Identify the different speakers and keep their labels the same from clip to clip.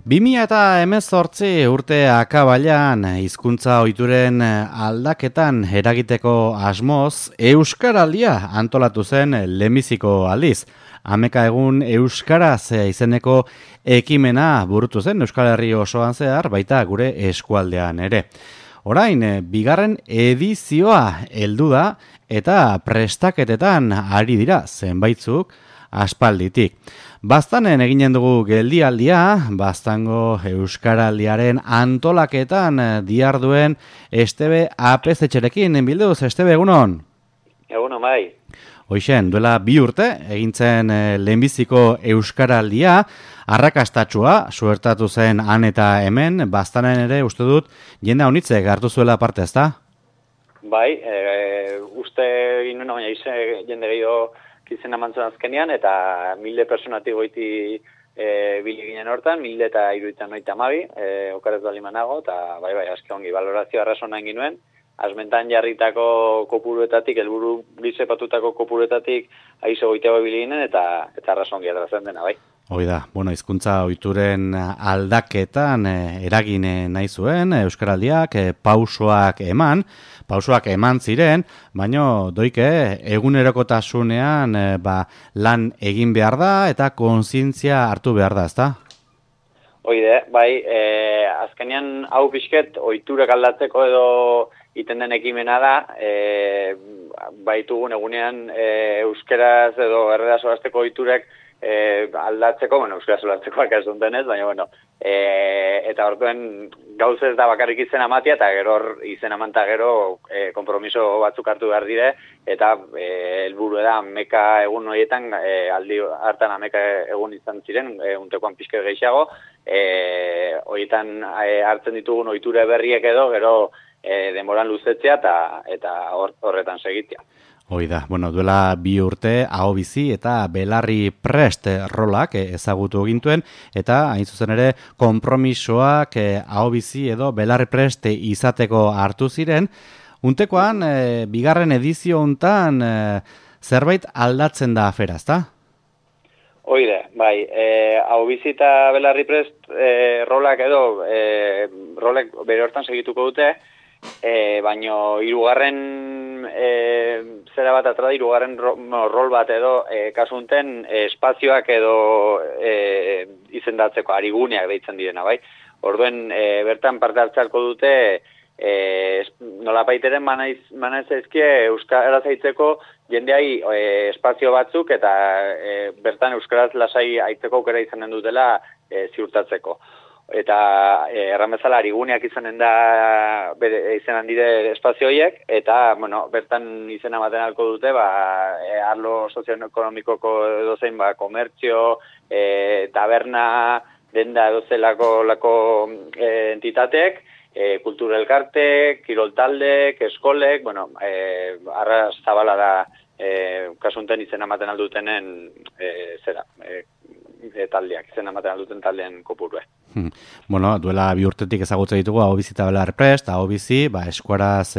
Speaker 1: 2018 urte akabailan hizkuntza ohituren aldaketan eragiteko asmoz Euskaraldia antolatu zen lehenbiziko aldiz. Hameka egun Euskaraz izeneko ekimena burutu zen Euskal Herri osoan zehar, baita gure eskualdean ere. Orain, bigarren edizioa heldu da eta prestaketetan ari dira zenbaitzuk aspalditik. Baztanen eginen dugu geldialdia, Baztango Euskaraldiaren antolaketan diharduen Estebe Apezetxerekin. Bilduz, Estebe, egunon?
Speaker 2: Egunon, bai.
Speaker 1: Hoixen, duela 2 urte, egintzen lehenbiziko Euskaraldia, arrakastatsua, suertatu zen han eta hemen, Baztanen ere, uste dut, jende haunitzek hartu zuela parte, ezta?
Speaker 2: Bai, uste ginen, baina jende gehiago izena mantzan azkenean, eta 1000 personatik goiti bili ginen hortan, 1392, okarez bali manago, eta bai, aske ongi, balorazio arrason nahi ginuen, asmentan jarritako kopuruetatik, helburu bizepatutako kopuruetatik aizo goiteago bili ginen, eta arrason ongi atrazen dena, bai.
Speaker 1: Hoi da, hizkuntza ohituren aldaketan eragin nahi zuen, Euskaraldiak pausoak eman ziren, baina doike egunerokotasunean lan egin behar da eta kontzientzia hartu behar da, ezta?
Speaker 2: Hoide, bai, azkenean hau pixket ohiturak aldatzeko edo iten den ekimena da, baitugun egunean euskaraz edo erredaz hasteko ohiturak aldatzeko, euskaraz aldatzeko ez duntenez, baina, eta orduen gauzez da bakarrik izena matia, eta gero izena manta gero kompromiso batzuk hartu behar dire, eta helburu da ameka egun horietan, aldi hartan ameka egun izan ziren, untekoan pixke gehiago, horietan hartzen ditugun ohitura berriek edo, gero denboran luzetzea eta horretan segitzea.
Speaker 1: Hoi da, duela 2 urte Ahobizi eta Belarri Prest rolak ezagutu gintuen, eta hain zuzen ere konpromisoak Ahobizi edo Belarri Prest izateko hartu ziren. Untekoan, bigarren edizio hontan zerbait aldatzen da afera, ezta?
Speaker 2: Hoide, bai, Ahobizi eta Belarri Prest rolak edo rolek bere hortan segituko dute, baina hirugarren zera bat atra da, hirugarren rol bat edo kasunten espazioak edo izendatzeko ariguneak deitzen direna, bai. Orduen bertan parte hartzarko dute nolabaiteren manaiz ezkie euskaraz aitzeko jendeai espazio batzuk eta bertan euskaraz lasai aitzeko aukera izanen dutela ziurtatzeko. Eta erran ariguneak izanen da izenan dire espazio horiek, eta bertan izena baten alko dute, arlo sozioekonomikoko edozein, komertzio, taberna, denda edozelako entitateek, kultura elkartek, kirol taldek, eskolek, arras zabala da kasunten izena baten aldutenen taldeak, izena baten alduten taldeen kopurue.
Speaker 1: Duela 2 urtetik ezagutzen ditugu Ahobizi eta Belarri Prest, Ahobizi, eskuaraz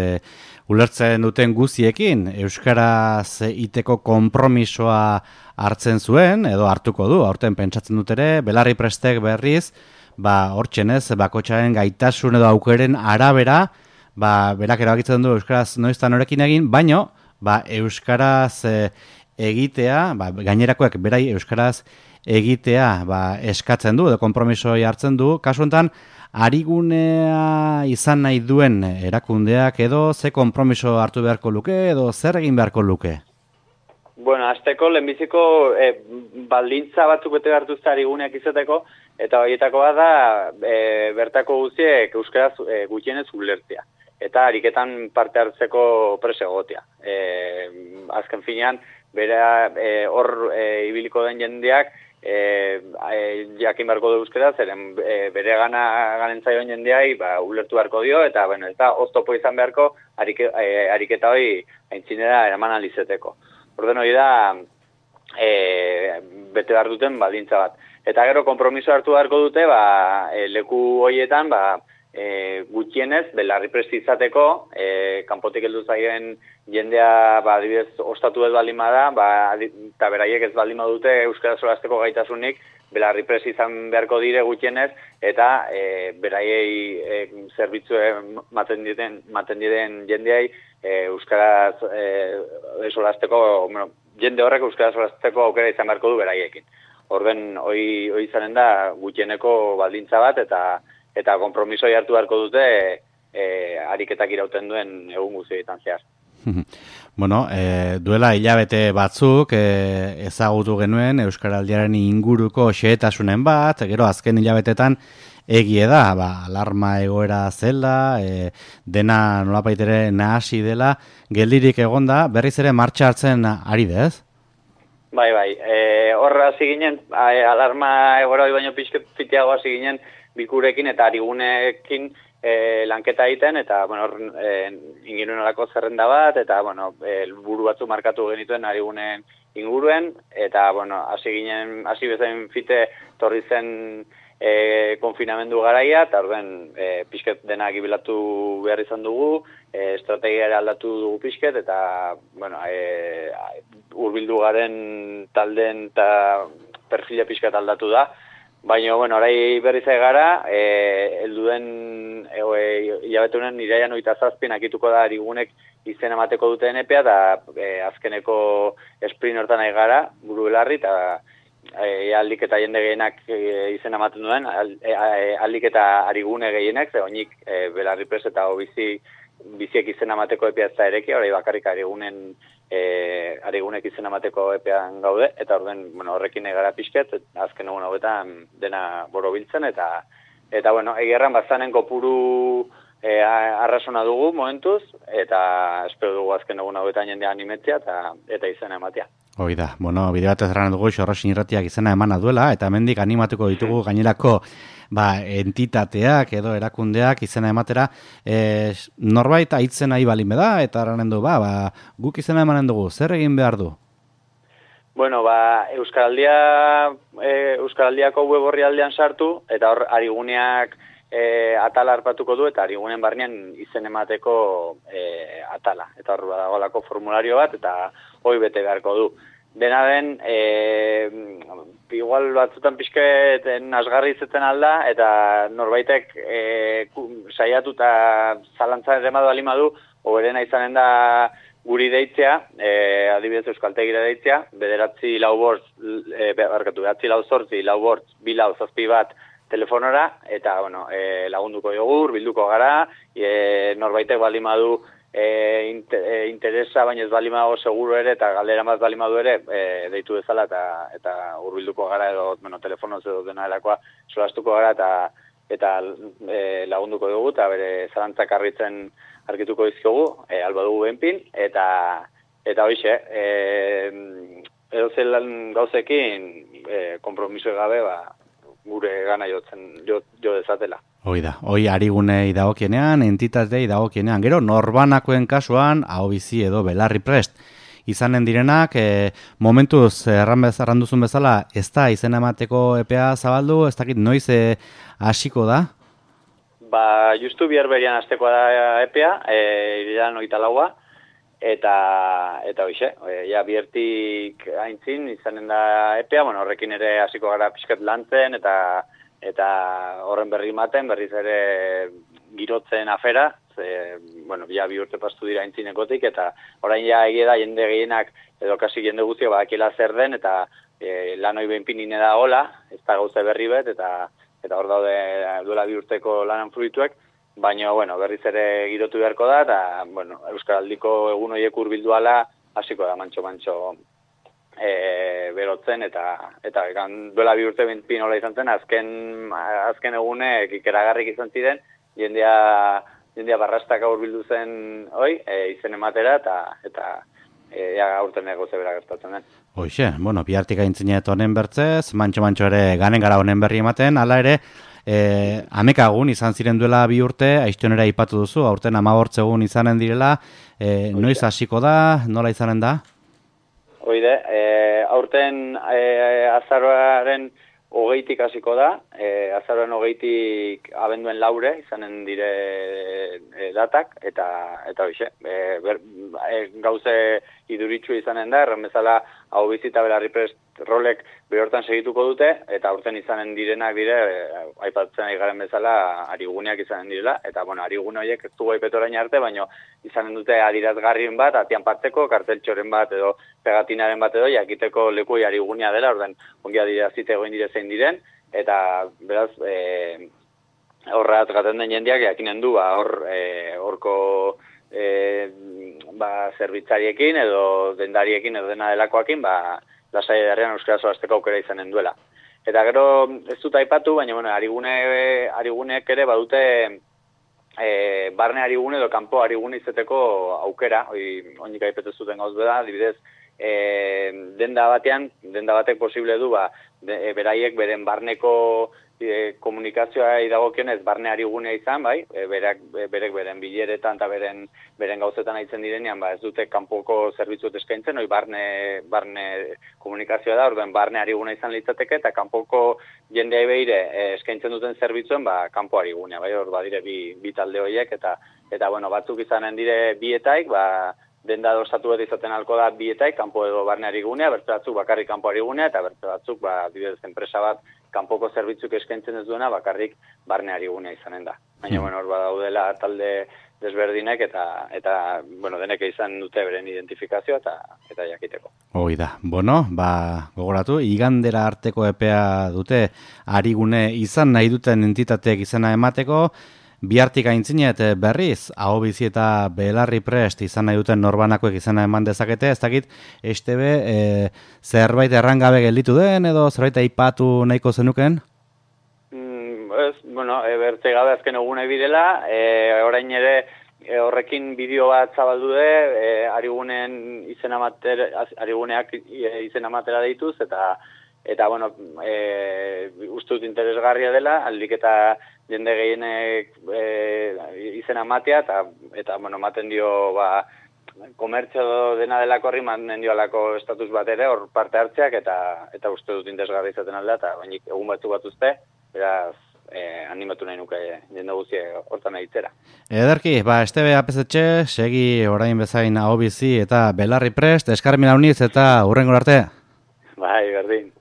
Speaker 1: ulertzen duten guziekin, euskaraz iteko konpromisoa hartzen zuen, edo hartuko du, aurten pentsatzen dut ere, Belarri Prestek berriz, hortxenez, bakotxaren gaitasun edo aukeren arabera, berak erabakitzen du euskaraz noiztan horekin egin, baino, euskaraz egitea, gainerakoek berai euskaraz egitea eskatzen du, edo konpromisoi hartzen du, kasu honetan, arigunea izan nahi duen erakundeak edo ze konpromiso hartu beharko luke edo zer egin beharko luke?
Speaker 2: Azteko lehenbiziko baldintza batzuk bete hartuzte ariguneak izateko, eta horietakoa da bertako guztiek euskaraz gutxienez ulertzea. Eta ariketan parte hartzeko presegotea. Azken finean, hor ibiliko den jendeak, jakin beharko du euskara, zeren bere ganen zaion jendeai ulertu beharko dio, eta ez da oztopo izan beharko ariketa hori aintzinera eraman alizeteko. Orden hori da bete behar duten baldintza bat. Eta gero konpromiso hartu beharko dute leku horietan gutxienez, Belarri Prest izateko, kanpotik heldu zaien jendea, adibidez, ostatu ez baldin bada, eta beraiek ez baldin badute euskara solasteko gaitasunik, belarri prest izan beharko dire gutxienez, eta beraiei zerbitzu maten diren jendeai euskaraz solasteko, jende horrek euskaraz solasteko aukera izan beharko du beraiekin. Orden hoi izanen da gutxieneko baldintza bat eta konpromisoi hartu beharko dute ariketak irauten duen egun guztietan zehar.
Speaker 1: Bueno, duela hilabete batzuk ezagutu genuen Euskaraldiaren inguruko xehetasunen bat, gero azken hilabetetan egie da, alarma egoera zela, dena nolapait ere nahasi dela, geldirik egonda, berriz ere martxa hartzen ari dez?
Speaker 2: Bai, horra hasi ginen, alarma egoera baino pixket fitiago hasi ginen bikurekin eta arigunekin lanketa egiten, eta, inguruen olako zerrenda bat, eta, buru batzu markatu genituen arigunen inguruen, eta, hasi bezain fite torri zen konfinamendu garaia, eta orden pixket denak ibilatu behar izan dugu, estrategiara aldatu dugu pixket, eta, urbildu garen taldeen eta perfila pixket aldatu da. Baina, orai berriz gara, helduen hilabetunen iraian 27 akituko da arigunek izen emateko duten epea, eta azkeneko sprint hortan nahi gara, buru belarri, eta aldik eta jende gehienak izen ematen duen, aldik eta arigune gehienak, ze honik belarri prest eta biziek izen emateko epea ez da ereki, orai bakarrik arigunek izen emateko epean gaude, eta horrekin egara pixket, azken egun hauetan dena borobiltzen, eta egerran bazanen kopuru arrasona dugu momentuz, eta espero dugu azken egun hauetan jendea animetzea eta izena ematea.
Speaker 1: Hoi da, bide batez erran dugu Xorrosin Irratiak izena emana duela, eta hemendik animatuko ditugu gainerako entitateak edo erakundeak izena ematera, norbait aitzen nahi balin beda, eta erranen du, guk izena emanen dugu, zer egin behar du?
Speaker 2: Euskaraldiako web horri aldean sartu, eta hor ariguneak atala harpatuko du, eta arigunen barnean izen emateko atala. Eta hor badagolako formulario bat, eta hoi bete beharko du. Dena den, igual batzutan pixket nasgarri izaten alda, eta norbaitek saiatu eta zalantzan ere madu alimadu, oberena izanen da guri deitzea, adibidez Euskaltegira deitzea, 9-4-4-2-4-4 telefonora, eta lagunduko dugu, bilduko gara, norbaitek balimadu interesa, baina ez balimago seguro ere, eta galdera bat balimadu ere, deitu bezala, eta hurbilduko gara, edo telefonoz edo dena delakoa solastuko gara, eta lagunduko dugu, eta bere zalantzak argituko dizkiogu, alba dugu benpin, eta hoxe, edo zelan gauzekin, kompromiso gabe, gure gana jo dezatela.
Speaker 1: Hoi da, hoi arigunei dagokienean, entitatei dagokienean, gero norbanakoen kasuan, ahobizi edo belarri prest izanen direnak, momentuz erranduzun bezala, ez da izena emateko epea zabaldu, ez dakit noiz hasiko da?
Speaker 2: Justu bihar berian hastekoa da epea, iriran 24, eta hoxe, biertik aintzin izanen da epea, horrekin ere hasiko gara pixkat lantzen, eta horren berri maten, berriz ere girotzen afera, bi urte pastu dira aintzinekotik, eta orain egia da jende gehienak, edo kasi jende guztiak badakila zer den, eta lanoi behinpinine da gola, ez da gauza berri bet, eta hor daude duela 2 urteko lanan fruituek, baina berriz ere girotu beharko da, eta Euskaraldiko egun horiek hurbilduala hasiko da mantxo berotzen, eta duela 2 urte pinola izan zen, azken egunek ikeragarrik izan ziren, jendea barrastaka hurbildu zen izen ematera, eta aurten egoze bera gertatzen den.
Speaker 1: Hoxe, bihartik aintzinet honen bertzez, mantxo ere ganen gara honen berri ematen, hala ere, amekagun izan ziren duela 2 urte, aiztionera ipatu duzu, aurten 15 egun izanen direla, noiz hasiko da, nola izanen da?
Speaker 2: Hoide, aurten azaroaren 20tik hasiko da, azaroaren 20tik abenduen 4 izanen dire datak, eta hoxe, gauze iduritxu izanen da, erren bezala hau bizita belarri prest rolek behortan segituko dute, eta aurten izanen direnak dire, aipatzen ari garen bezala, ariguneak izanen direla, eta bueno, arigune horiek ez dugu aipetu orain arte, baina izanen dute adirazgarrien bat, atian partzeko, karteltxoren bat edo pegatinaren bat edo, jakiteko lekui arigunea dela, orden ongi adirazite egoin dire zein diren, eta beraz, horra atgaten den jendeak jakinen du, horko zerbitzariekin edo dendariekin edo dena delakoakin, lasai edarrean euskaraz hasteko aukera izanen duela. Eta gero ez dut aipatu, baina bueno, ariguneek ere badute barne arigune edo kanpo arigune izeteko aukera, oinik aipetu zuten gauz beda, adibidez, denda batek posible du, beraiek beren barneko komunikazioa idagokionez barne arigunea izan, bai, berek beren bileretan eta beren gauzetan aitzen direnean, ez dute kanpoko zerbitzuet eskaintzen, barne komunikazioa da, orduan barne ariguna izan litzateke, eta kanpoko jendea beire eskaintzen duten zerbitzuen, kanpo arigunea, bai, hor badire bi talde horiek, eta bueno, batzuk izanen dire bietaik, denda dosatu bat izaten alko da bietaik, kanpo edo barne arigunea, bertze batzuk bakarrik kanpo arigunea, eta bertze batzuk, adibidez, enpresa bat, kanpoko zerbitzuk eskaintzen ez duena, bakarrik barne arigunea izanen da. Baina, bueno, hor badaudela talde desberdinek, eta bueno, denek izan dute beren identifikazioa, eta jakiteko.
Speaker 1: Hoi da. Bueno, gogoratu, igandera arteko epea dute arigune izan nahi duten entitateek izena emateko, bihartik aintzinet berriz, ahobizi eta belarri prest izan nahi duten norbanakoek izena eman dezakete, ez dakit, zerbait errangabe gelditu den, edo zerbait aipatu nahiko zenuken?
Speaker 2: Bueno, bertze gabe azken egune bidela, orain ere horrekin bideo bat zabaldu ariguneak izena matera deituz, eta bueno, uste dut interesgarria dela, aldik eta jende gehienek izena matea, eta bueno, maten dio komertzio dena delako horri, maten dio alako estatus bat ere, hor parte hartzeak, eta uste dut interesgarria izaten aldea, eta bainik egun bat uste, beraz, animatu nahi nuke jende guztie hortan egitzera.
Speaker 1: Ederki, Estebe APZ, segi orain bezain ahobizi eta belarri prest, eskarmin hauniz eta hurrengo arte.
Speaker 2: Bai, berdin.